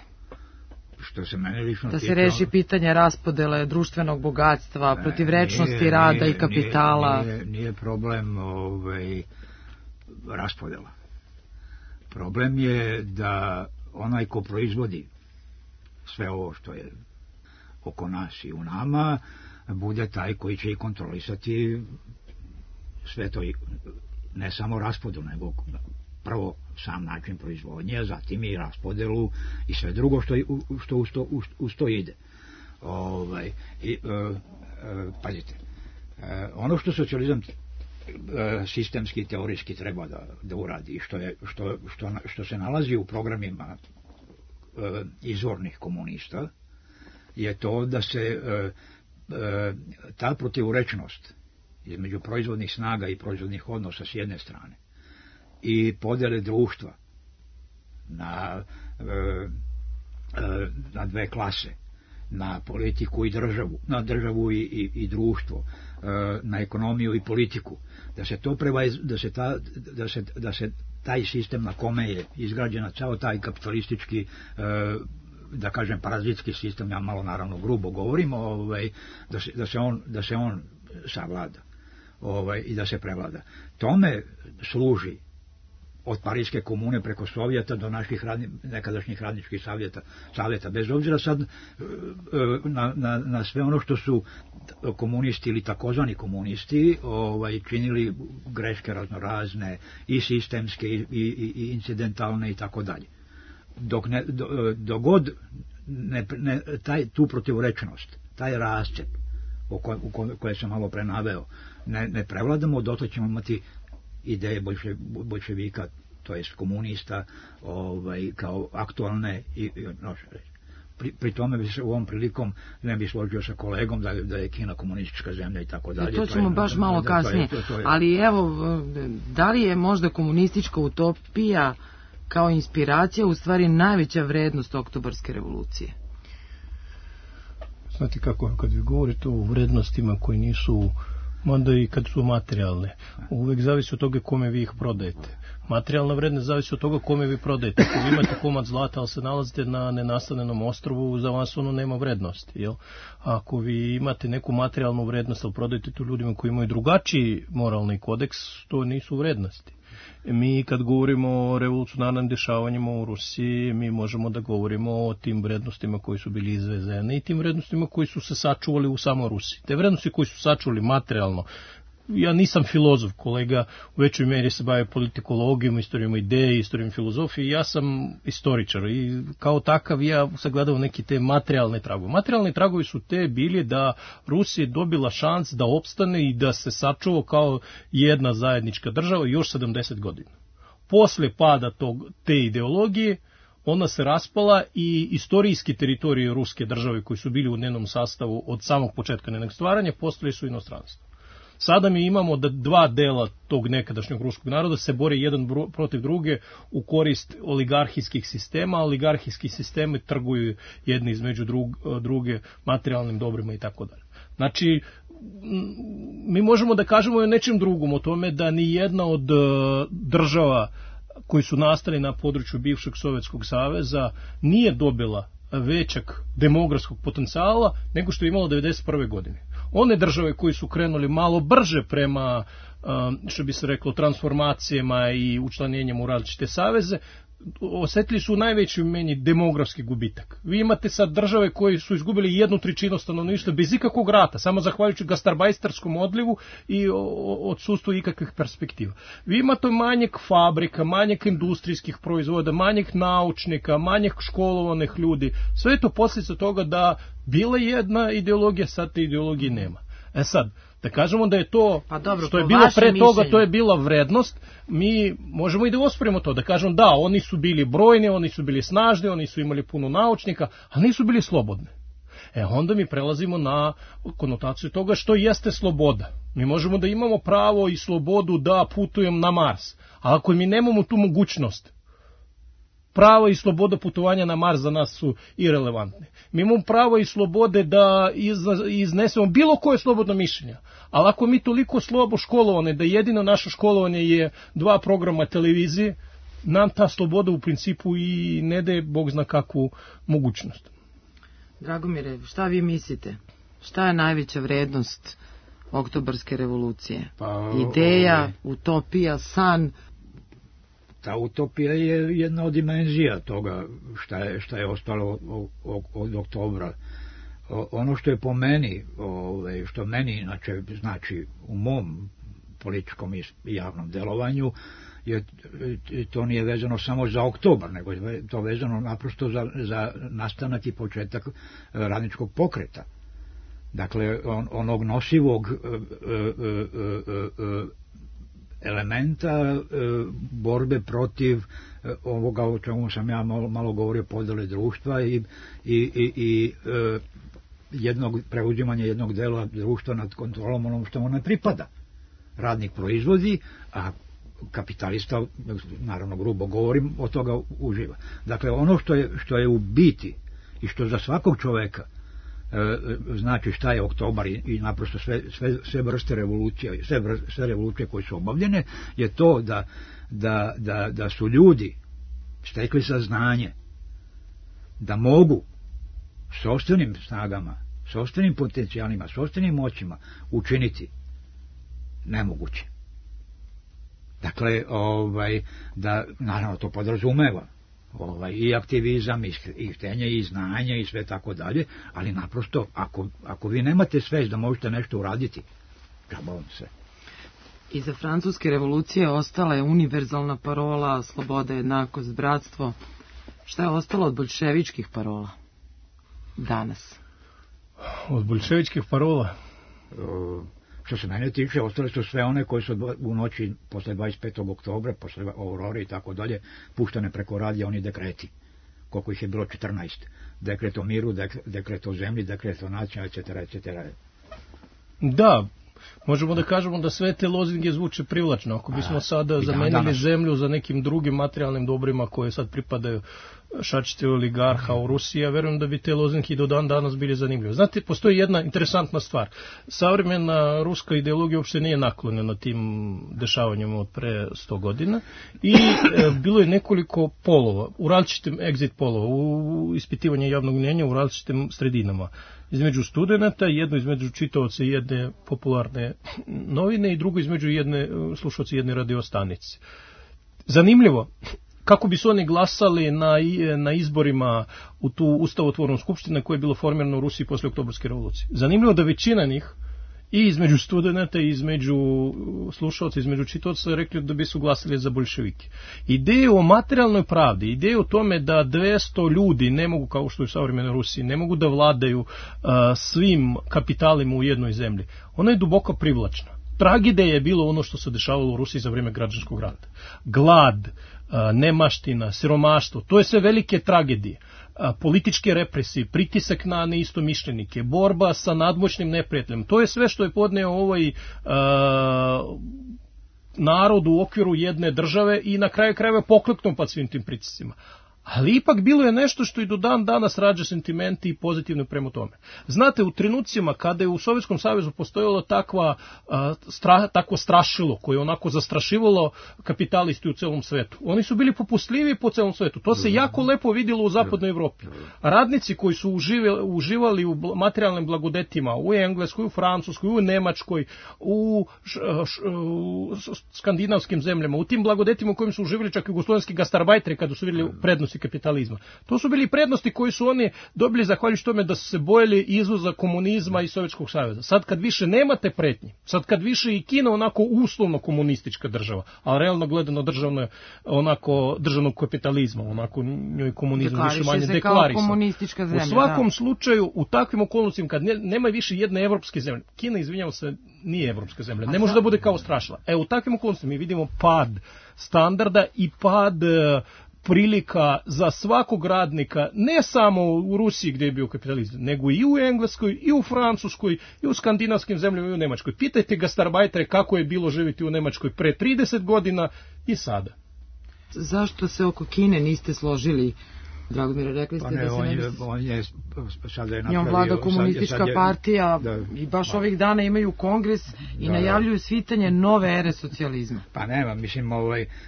Što se mene lično da se reši pitanje raspodele društvenog bogatstva, protivrečnosti rada i kapitala. Nije problem raspodela. Problem je da onaj ko proizvodi sve ovo što je oko nas i u nama, bude taj koji će i kontrolisati sve to, ne samo raspodelu, nego prvo sam način proizvodnje, zatim i raspodelu i sve drugo što uz to ide. Pazite, ono što socijalizam sistemski i teorijski treba da uradi, što se nalazi u programima izvornih komunista, je to da se ta protivrečnost između proizvodnih snaga i proizvodnih odnosa s jedne strane i podele društva na dve klase, na politiku i državu, na državu i društvo, na ekonomiju i politiku, da se taj sistem na kome je izgrađena ceo taj kapitalistički, da kažem parazitski sistem, ja malo naravno grubo govorim, da se on savlada i da se prevlada. Tome služi od Parijske komune preko Sovjeta do naših nekadašnjih radničkih savjeta, bez obzira sad na sve ono što su komunisti ili takozvani komunisti činili greške raznorazne i sistemske i incidentalne i tako dalje. Dok god tu protivrečnost, taj rascep koje sam malo prenaveo, ne prevladamo, dotle ćemo imati ideje bolševika, to jest komunista, kao aktualne i pri tome bi se u ovom prilikom ne bi složio sa kolegom da je Kina komunistička zemlja i tako dalje. To ćemo baš malo kasnije. Ali evo, da li je možda komunistička utopija kao inspiracija u stvari najveća vrednost oktobarske revolucije? Znate kako, kad vi govorite o vrednostima koji nisu, onda i kad su materijalne, uvek zavisi od toga kome vi ih prodajete. Materijalna vrednost zavisi od toga kome vi prodajete. Ako vi imate komad zlata, ali se nalazite na nenastanjenom ostrvu, za vas ono nema vrednosti. Jel? Ako vi imate neku materijalnu vrednost, ali prodajete to ljudima koji imaju drugačiji moralni kodeks, to nisu vrednosti. Mi kad govorimo o revolucionarnim dešavanjima u Rusiji, mi možemo da govorimo o tim vrednostima koji su bili izvezene i tim vrednostima koji su se sačuvali u samoj Rusiji. Te vrednosti koji su sačuvali materijalno, ja nisam filozof, kolega u većoj meri se bavi politikologijom, istorijom ideje, istorijom filozofije, ja sam istoričar i kao takav ja sagledam neki te materijalne tragove. Materijalni tragovi su te bili da Rusija dobila šans da opstane i da se sačuva kao jedna zajednička država još 70 godina. Posle pada te ideologije, ona se raspala i istorijski teritorije ruske države koji su bili u njenom sastavu od samog početka njenog stvaranja postali su inostranstvo. Sada mi imamo da dva dela tog nekadašnjeg ruskog naroda se bore jedan protiv druge u korist oligarhijskih sistema, a oligarhijski sistemi trguju jedni između druge materijalnim dobrima i tako dalje. Znači, mi možemo da kažemo i o nečem drugom, o tome da ni jedna od država koji su nastali na području bivšeg Sovjetskog saveza nije dobila većak demografskog potencijala nego što je imala 1991. godine. One države koji su krenuli malo brže prema, što bi se reklo, transformacijama i učlanjenjem u različite saveze, osetili su u najvećoj meni demografski gubitak. Vi imate sad države koji su izgubili 1/3 stanovništva bez ikakvog rata, samo zahvaljujući gastarbajterskom odlivu i odsustvu ikakvih perspektiva. Vi imate manjak fabrika, manjak industrijskih proizvoda, manjak naučnika, manjak školovanih ljudi. Sve je to posljedica toga da bila jedna ideologija, sad te ideologije nema. Sad, da kažemo da je to, pa dobro, što je bilo pre toga, to je bila vrednost, mi možemo i da osporimo to, da kažemo da, oni su bili brojni, oni su bili snažni, oni su imali puno naučnika, ali nisu bili slobodni. Onda mi prelazimo na konotaciju toga što jeste sloboda. Mi možemo da imamo pravo i slobodu da putujem na Mars, ali ako mi nemamo tu mogućnost, pravo i sloboda putovanja na Mars za nas su irelevantne. Mi imamo pravo i slobode da iznesemo bilo koje slobodno mišljenje, ali ako mi toliko slobo školovane, da jedino naše školovanje je 2 programa televizije, nam ta sloboda u principu i ne daje Bog zna kakvu mogućnost. Dragomire, šta vi mislite? Šta je najveća vrednost oktobarske revolucije? Ideja, utopija, san? Ta utopija je jedna od dimenzija toga šta je ostalo od oktobra. Ono što je po meni, što meni inače znači u mom političkom i javnom delovanju, to nije vezano samo za oktobar, nego je to vezano naprosto za nastanak i početak radničkog pokreta. Dakle, onog nosivog elementa borbe protiv ovoga o čemu sam ja malo govorio, podele društva i preuzimanje jednog dela društva nad kontrolom onom što mu ne pripada. Radnik proizvodi, a kapitalista, naravno grubo govorim, od toga uživa. Dakle, ono što je u biti i što za svakog čoveka znači šta je oktobar i naprosto sve vrste revolucija, sve revolucije koje su obavljene, je to da su ljudi stekli saznanje da mogu sopstvenim snagama, sopstvenim potencijalima, sopstvenim moćima učiniti nemoguće. Dakle, da naravno to podrazumeva i aktivizam, i htenje, i znanje, i sve tako dalje, ali naprosto, ako vi nemate svest da možete nešto uraditi, džaba vam sve. Iza francuske revolucije ostala je univerzalna parola sloboda, jednakost, bratstvo. Šta je ostalo od boljševičkih parola danas? Od boljševičkih parola? Što se mene tiče, ostale su sve one koje su u noći posle 25. oktobra, posle Aurore i tako dalje, puštane preko radija, oni dekreti. Koliko ih je bilo? 14. Dekret o miru, dekret o zemlji, dekret o nacija, etc. Da, možemo da kažemo da sve te lozinge zvuče privlačno. Ako bismo sada zamenili zemlju za nekim drugim materijalnim dobrima koje sad pripadaju šačice oligarha u Rusiji, ja verujem da bi te lozinke do dan danas bili zanimljive. Znate, postoji jedna interesantna stvar. Savremena ruska ideologija uopšte nije naklonjena tim dešavanjima od pre 100 godina i bilo je nekoliko polova, u različitim exit polova, u ispitivanju javnog mnjenja u različitim sredinama. Između studenta, jedno između čitaoca jedne popularne novine i drugo između slušaoca jedne radiostanice. Zanimljivo, kako bi su oni glasali na izborima u tu ustavotvornu skupštinu koja je bilo formirana u Rusiji posle oktobarske revolucije. Zanimljivo da većina njih i između studenta i između slušaoca, između čitaoca rekli da bi su glasali za boljševike. Ideju o materijalnoj pravdi, ideju o tome da 200 ljudi ne mogu, kao što je u savremenoj Rusiji, ne mogu da vladaju svim kapitalima u jednoj zemlji, ona je duboko privlačna. Tragedija je bilo ono što se dešavalo u Rusiji za vrijeme građanskog rata. Glad, nemaština, siromaštvo, to je sve velike tragedije. Političke represije, pritisak na neistomišljenike, borba sa nadmoćnim neprijateljem, to je sve što je podneo ovaj narod u okviru jedne države i na kraju krajeva pokleknuo pod svim tim pritiscima. Ali ipak bilo je nešto što i do dan danas rađa sentimenti i pozitivno prema tome. Znate, u trenucima kada je u Sovjetskom savezu postojalo takvo strašilo koje je onako zastrašivalo kapitalisti u celom svetu, oni su bili popustljiviji po celom svetu. To se jako lepo vidjelo u zapadnoj Evropi. Radnici koji su uživali u materijalnim blagodetima u Engleskoj, u Francuskoj, u Nemačkoj, u skandinavskim zemljama, u tim blagodetima u kojim su uživali čak i jugoslovenski gastarbajteri kada su vidjeli prednosti prednosti kapitalizma. To su bili prednosti koji su oni dobili zahvaljujući tome da su se bojili izvoza komunizma i Sovjetskog saveza. Sad kad više nemate pretnji, sad kad više i Kina onako uslovno komunistička država, a realno gledano državnog kapitalizma, onako njoj komunizam više manje deklarisan. U svakom slučaju, u takvim okolnostima, kad nema više jedne evropske zemlje, Kina, izvinjavam se, nije evropska zemlja, ne može da bude kao strašila. U takvim okolnostima mi vidimo pad standarda i pad prilika za svakog radnika, ne samo u Rusiji gdje je bio kapitalizam, nego i u Engleskoj, i u Francuskoj, i u skandinavskim zemljama, i u Nemačkoj. Pitajte gastarbajtere kako je bilo živjeti u Nemačkoj pre 30 godina i sada. Zašto se oko Kine niste složili? Dragomire, rekli ste da se ne biste... On je sada je napravio... Njom vlada komunistička partija i baš ovih dana imaju kongres i najavljuju svitanje nove ere socijalizma. Pa nema, mislim,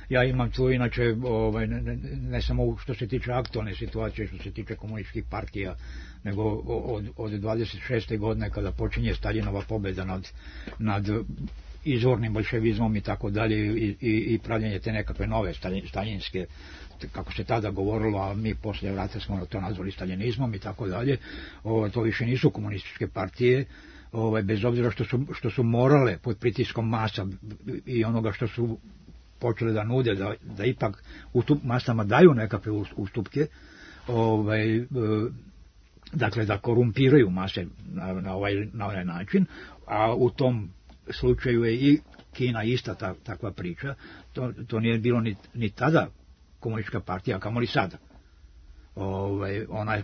ja imam tu inače, ne samo što se tiče aktualne situacije, što se tiče komunističkih partija, nego od 26. godine kada počinje Staljinova pobjeda nad izvornim bolševizmom i tako dalje i pravljenje te nekakve nove staljinske, kako se tada govorilo, a mi poslije rata smo to nazvali staljinizmom i tako dalje, to više nisu komunističke partije, bez obzira što su morale pod pritiskom masa i onoga što su počeli da nude, da ipak u masama daju nekakve ustupke, dakle da korumpiraju mase na ovaj način, a u tom slučaju je i Kina ista takva priča. To nije bilo ni tada komunistička partija, kamoli sada.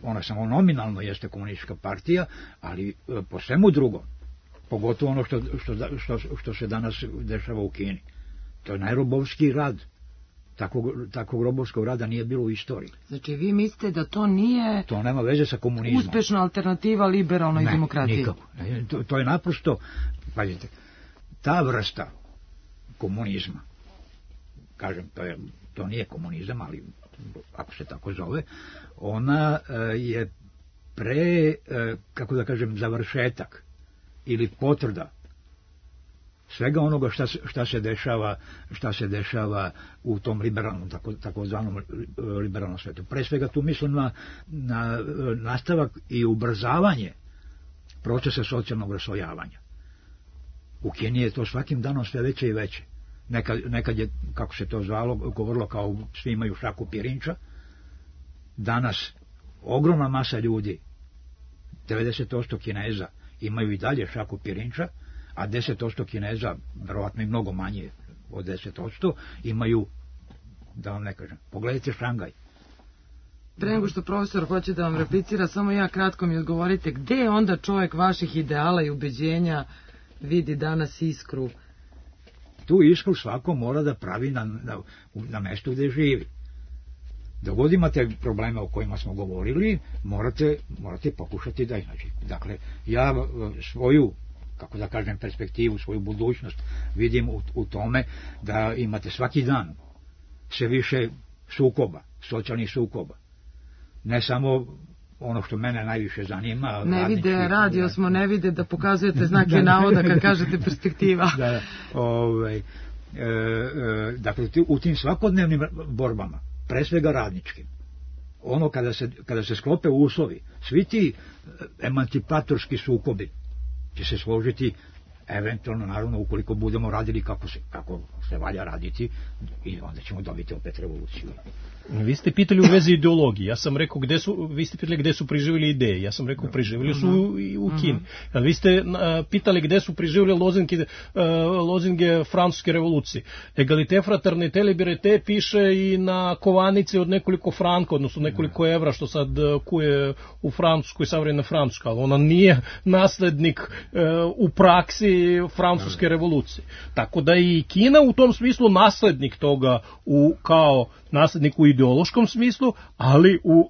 Ona samo nominalno jeste komunistička partija, ali po svemu drugom, pogotovo ono što se danas dešava u Kini. To je najrobovski rad. Takvog robovskog rada nije bilo u istoriji. Znači vi mislite da to nije... To nema veze sa komunizmom. Uspešna alternativa liberalnoj demokratiji? Nikako. To je naprosto, pazite, ta vrsta komunizma, kažem, to nije komunizam, ali ako se tako zove, ona je kako da kažem, završetak ili potvrda svega onoga šta se dešava u tom liberalnom, takozvanom liberalnom svetu. Pre svega tu mislim na nastavak i ubrzavanje procesa socijalnog raslojavanja. U Kini je to svakim danom sve veće i veće. Nekad je, kako se to zvalo, govorilo kao svi imaju šaku pirinča. Danas ogromna masa ljudi, 90% Kineza, imaju i dalje šaku pirinča, a 10% Kineza, verovatno i mnogo manje od 10%, imaju, da vam ne kažem, pogledajte Šangaj. Pre nego što profesor hoće da vam replicira, samo ja kratko mi odgovorite, gde onda čovjek vaših ideala i ubeđenja vidi danas iskru? Tu iskru svako mora da pravi na mestu gde živi. Dok god imate probleme o kojima smo govorili, morate pokušati da iznaći. Dakle, ja svoju, kako da kažem, perspektivu, svoju budućnost vidim u tome da imate svaki dan sve više sukoba, socijalnih sukoba. Ne samo ono što mene najviše zanima. Ne vide, radio smo, ne vide da pokazujete znake navoda kad kažete perspektiva. Dakle, u tim svakodnevnim borbama, pre svega radničkim, ono kada se sklope uslovi, svi ti emancipatorski sukobi će se složiti, eventualno, naravno, ukoliko budemo radili kako se valja raditi, i onda ćemo dobiti opet revoluciju. Vi ste pitali u vezi ideologije, ja sam rekao vi ste pitali gde su preživjeli ideje, ja sam rekao preživjeli su u Kini. Vi ste pitali gde su preživjeli lozinge francuske revolucije. Egalite, fraternite, liberite piše i na kovanici od nekoliko franka, odnosno nekoliko evra, što sad kuje u Francuskoj, savremena Francuska, ali ona nije naslednik u praksi francuske revolucije. Tako da i Kina u tom smislu naslednik toga kao naslednik u ideološkom smislu, ali u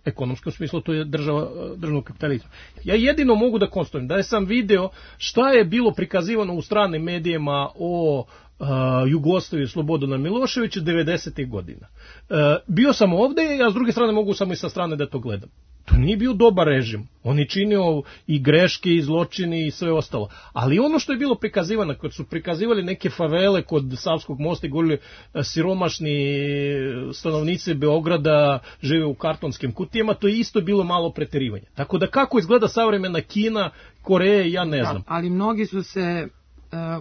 ekonomskom smislu to je državnog kapitalizma. Ja jedino mogu da konstatujem da sam video šta je bilo prikazivano u stranim medijima o Jugoslaviji Slobodana Miloševića 90. godina. Bio sam ovde, a s druge strane mogu samo i sa strane da to gledam. To nije bio dobar režim. On je činio i greške i zločine i sve ostalo. Ali ono što je bilo prikazivano, kad su prikazivali neke favele kod Savskog mosta i govorili siromašni stanovnici Beograda žive u kartonskim kutijama, to je isto bilo malo preterivanje. Tako da kako izgleda savremena Kina, Koreje, ja ne znam. Ali mnogi su se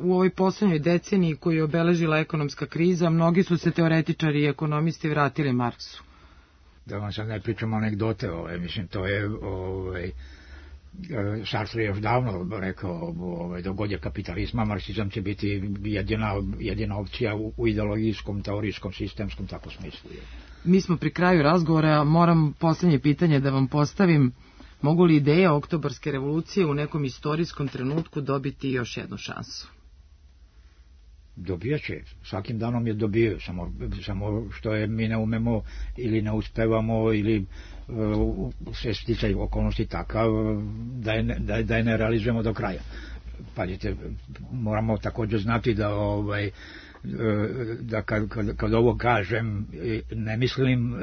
u ovoj poslednjoj deceniji koju je obeležila ekonomska kriza, mnogi su se teoretičari i ekonomisti vratili Marksu. Da vam sad ne pričamo anegdote, mislim, to je, Sartre je još davno rekao, dok god je kapitalizma, marksizam će biti jedina opcija u ideologijskom, teorijskom, sistemskom, tako smislu. Mi smo pri kraju razgovora, moram poslednje pitanje da vam postavim. Mogu li ideje Oktobarske revolucije u nekom istorijskom trenutku dobiti još jednu šansu? Dobijat će, svakim danom je dobijaju, samo što je mi ne umemo ili ne uspevamo ili sve sticaj okolnosti takav da je ne realizujemo do kraja. Pazite, moramo također znati da kad ovo kažem ne mislim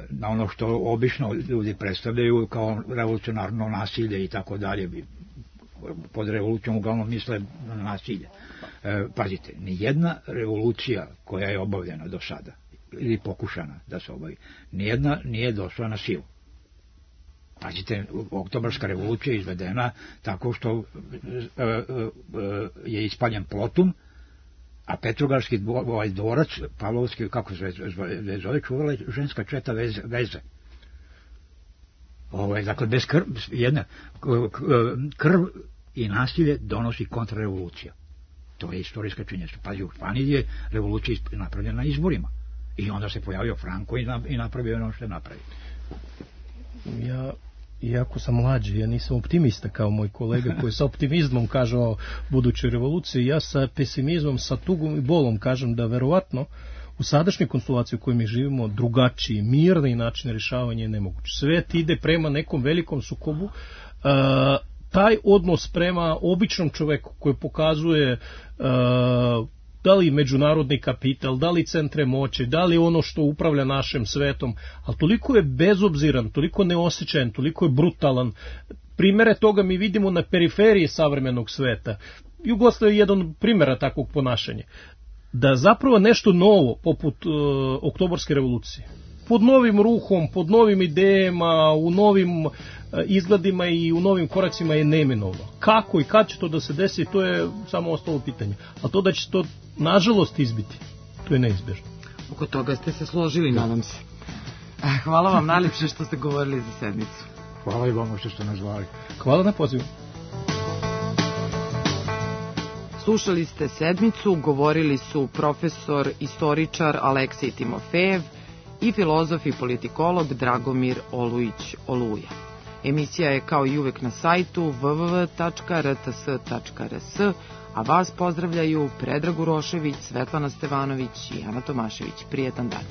na ono što obično ljudi predstavljaju kao revolucionarno nasilje i tako dalje. Pod revolucijom uglavnom misle na nasilje. Pazite, nijedna revolucija koja je obavljena do sada ili pokušana da se obavi, nijedna nije došla na silu. Pazite, Oktobarska revolucija je izvedena tako što je ispaljen Plotum, a Petrogradski dvorac, Pavlovski, kako se zove, čuvala je ženska četa veze. Dakle, bez krv i nasilje donosi kontrarevolucija. To je istorijska činjenica. Pazi, u Španiji je revolucija napravljena na izborima. I onda se pojavio Franco i napravio ono što je napravio. Iako sam mlađi, ja nisam optimista kao moj kolega koji sa optimizmom kaže o budućoj revoluciji. Ja sa pesimizmom, sa tugom i bolom kažem da verovatno u sadašnjoj konstelaciji u kojoj mi živimo drugačiji, mirni način rješavanja je nemoguće. Svet ide prema nekom velikom sukobu. Taj odnos prema običnom čoveku koji pokazuje da li međunarodni kapital, da li centre moći, da li ono što upravlja našim svetom, ali toliko je bezobziran, toliko neosjećajan, toliko je brutalan. Primere toga mi vidimo na periferiji savremenog sveta. Jugoslavija je jedan primjera takvog ponašanja. Da zapravo nešto novo, poput Oktobarske revolucije, pod novim ruhom, pod novim idejama, u novim izgledima i u novim koracima je neminovno. Kako i kad će to da se desi, to je samo ostalo pitanje. A to da će to nažalost izbiti, to je neizbježno. Oko toga ste se složili, nadam se. Hvala vam najljepše što ste govorili za sedmicu. Hvala i vama što ste nas zvali. Hvala na pozivu. Slušali ste sedmicu, govorili su profesor, istoričar Aleksej Timofejev i filozof i politikolog Dragomir Olujić-Oluja. Emisija je kao i uvek na sajtu www.rts.rs, a vas pozdravljaju Predrag Urošević, Svetlana Stevanović i Ana Tomašević. Prijetan dan.